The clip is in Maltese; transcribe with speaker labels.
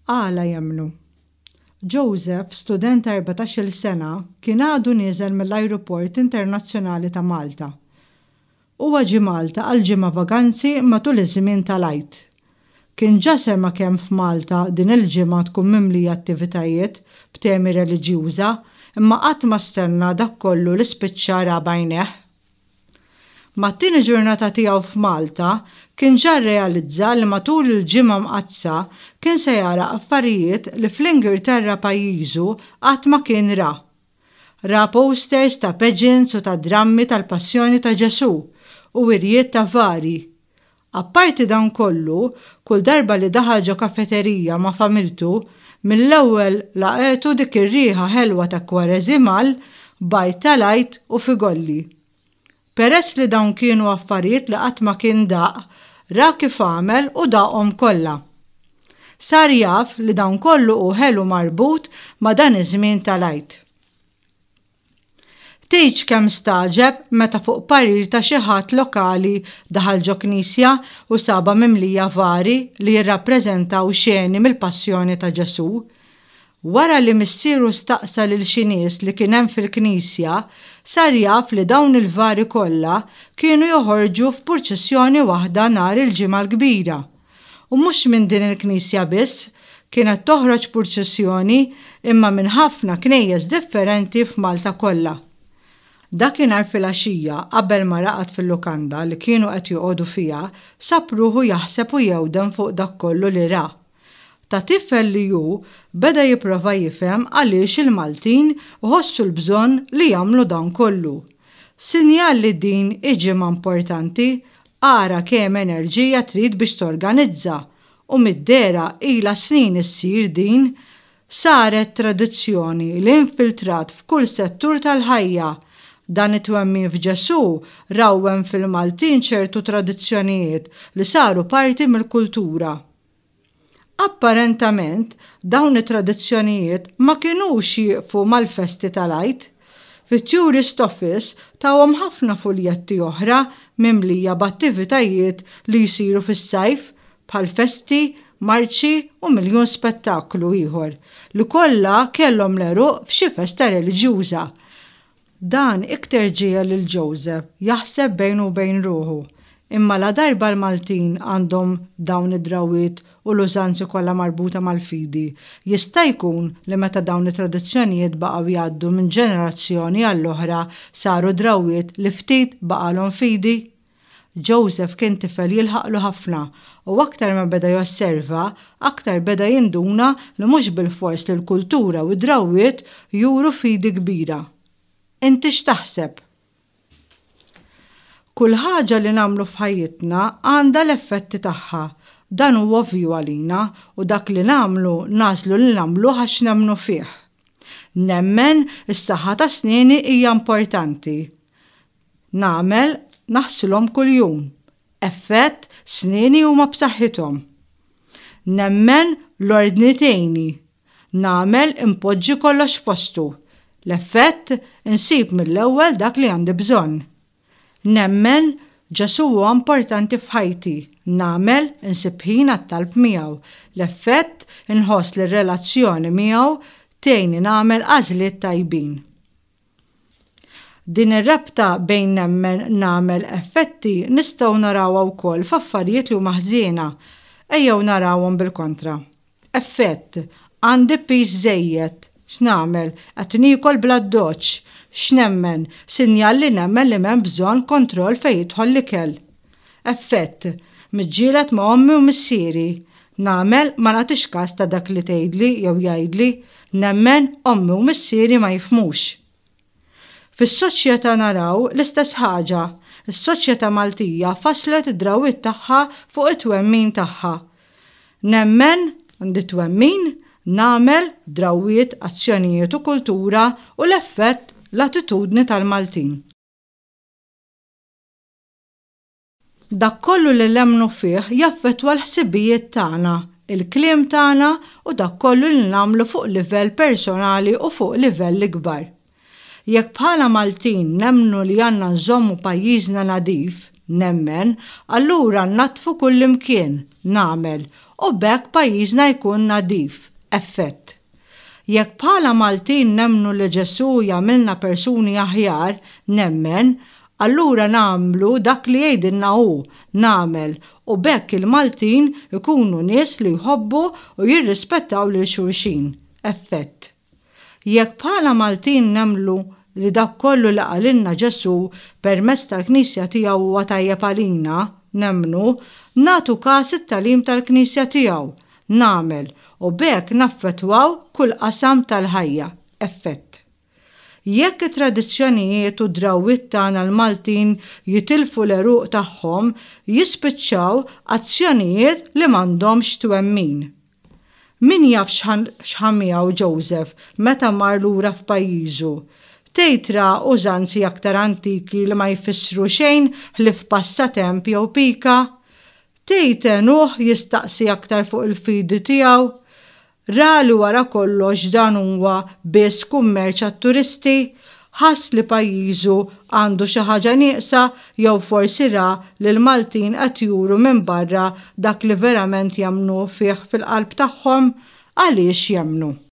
Speaker 1: Għala jemmnu? Joseph, student ta' 14-il sena, kien għadu nieżel mill-Ajruport Internazzjonali ta' Malta. Huwa ġie Malta għal ġimgħa vaganzi matul iż-żmien tal-Għid. Kien ġa sema' kemm f'Malta din il-ġimgħa tkun mimlija attivitajiet b'temi reliġjuża imma qatt ma stenna dak kollu li spiċċa ra b'għajnejh. Mat-tieni ġurnata tiegħu f'Malta, kien ġa rrealizza li matul il-Ġimgħa Mqaddsa kien se jara affarijiet li fl-Ingilterra pajjiżu qatt ma kien ra. Ra posters ta' pageants u ta' drammi tal-Passjoni ta' Ġesù u wirjiet ta' vari. Apparti dan kollu, kull darba li daħal ġo kafeterija ma' familtu, mill-ewwel laqgħetu dik ir-riħa ħelwa ta' kwareżimal, bajd tal-Għid u figolli. Peress li dawn kienu affarijiet li qatt ma kien daq, ra kif għamel u daqhom kollha. Sar jaf li dan kollu hu ħelu marbut ma' dan iż-żmien tal-Għid. Tgħidx kemm stagħġeb meta fuq parir ta' xi ħadd lokali daħal ġo knisja u sabha mimlija vari li jirrappreżentaw xeni mill-Passjoni ta' Ġesù. Wara li missieru staqsa lil xi nies li kien hemm fil-knisja, sar jaf li dawn il-vari kollha kienu joħorġu f'purċissjoni waħda nhar il-Ġimgħa l-Kbira. U mhux minn din il-knisja biss kienet toħroġ purċissjoni imma minn ħafna knejjes differenti f'Malta kollha. Dakinhar filgħaxija qabel ma raqad fil-lukanda li kienu qed joqogħdu fiha, sab ruħu jaħseb u jewden fuq dak kollu li ra. Ta' tifel li hu, beda jipprova jifhem għaliex il-Maltin iħossu l-bżonn li jagħmlu dan kollu. Sinjal li din hi ġimgħa importanti, ara kemm enerġija trid biex torganizza, u mid-dehra ilha snin issir din. Saret tradizzjoni li infiltrat f'kull settur tal-ħajja. Dan it-twemmin f'Ġesù rawwem fil-Maltin ċertu tradizzjonijiet li saru parti mill-kultura. Apparentament, dawn it-tradizzjonijiet ma kinux jieqfu mal-festi tal-Għid. Fit-Tourist Office tawhom ħafna fuljetti oħra mimlija b'attivitajiet li jsiru fis-sajf bħal festi, marċi u miljun spettaklu ieħor li kollha kellhom l-għeruq f'xi festa reliġjuża. Dan iktar ġiegħel lil Joseph jaħseb bejnu u bejn ruħu, Imma ladarba l-Maltin għandhom dawn id-drawwiet u l-użanzi kollha marbuta mal-fidi, jista' jkun li meta dawn it-tradizzjonijiet baqgħu jgħaddu minn ġenerazzjoni għall-oħra saru drawwiet li ftit baqgħalhom fidi? Joseph kien tifel jilħaqlu ħafna u aktar ma beda josserva, aktar beda jinduna li mhux bilfors li l-kultura u d-drawwiet juru fidi kbira. Inti x'taħseb? Kull ħaġa li nagħmlu f'ħajjitna għandha l-effetti tagħha. Dan hu ovvju għalina u dak li nagħmlu nagħżlu li nagħmluh għax nemmnu fih. Nemmen is-saħħa ta' snieni hija importanti. Nagħmel naħsilhom kuljum. Effett, snieni huma b'saħħithom. Nemmen l-ordni tgħinni. Nagħmel inpoġġi kollox f'postu. L-effett, insib mill-ewwel dak li għandi bżonn. Nemmen, Ġesù huwa importanti f'ħajti. Nagħmel, insib ħin għat-talb miegħu. L-effett, inħoss li r-relazzjoni miegħu tgħinni nagħmel għażliet tajbin. Din ir-rabta bejn nemmen, nagħmel, effetti nistgħu narawha wkoll f'affarijiet li huma ħżiena. Ejjew narawhom bil-kontra. Effett, Għandi piż żejjed. X'nagħmel? Qed niekol bl-addoċċ. X'nemmen? Sinjal li nemmen li m'hemm bżonn kontroll fejn jidħol l-ikel. Effett, Miġġieled ma' ommi u missieri. Nagħmel ma nagħtix kas ta' dak li tgħidli jew jgħidli. Nemmen, ommi u missieri ma jifhmux. Fis-soċjetà naraw l-istess ħaġa. Is-soċjetà Maltija fasslet id-drawwiet tagħha fuq it-twemmin tagħha. Nemmen, għandi twemmin, nagħmel, drawwiet, azzjonijiet u kultura u l-effett, l-attitudni tal-Maltin. Dak kollu li nemmnu fih jaffettwa l-ħsibijiet tagħna, il-kliem tagħna u dak kollu li nagħmlu fuq livell personali u fuq livell ikbar. Jekk bħala Maltin nemmnu li għandna nżommu pajjiżna nadif, nemmen, allura nnaddfu kullimkien, nagħmel. u b'hekk pajjiżna jkun nadif. Effett. Jekk bħala Maltin nemmnu li Ġesù jagħmilna persuni aħjar, nemmen, allura nagħmlu dak li jgħidilna hu, nagħmel, u b'hekk il-Maltin ikunu nies li jħobbu u jirrispettaw lil xulxin. Effett. Jekk bħala Maltin nemmlu li dak kollu li qalilna Ġesù permezz tal-Knisja tiegħu huwa tajjeb għalina, nemmnu, nagħtu kas it-tagħlim tal-Knisja tiegħu, nagħmel, u b'hekk naffettwaw kull qasam tal-ħajja. Effett. Jekk it-tradizzjonijiet u d-drawwiet tagħna l-Maltin jitilfu l-għeruq tagħhom, jispiċċaw azzjonijiet li m'għandhomx twemmin. Min jaf x'ħa miegħu Joseph meta mar lura f'pajjiżu? Tgħid ra użanzi aktar antiki li ma jfissru xejn ħlief passatemp jew pika? Tgħid għenuh jistaqsi aktar fuq il-fidi tiegħu? Ra li wara kollox dan huwa biss kummerċ għat-turisti? Ħass li pajjiżu għandu xi ħaġa nieqsa jew forsi ra li l-Maltin qed juru minn barra dak li verament jemmnu fih fil-qalb tagħhom? Għaliex jemmnu?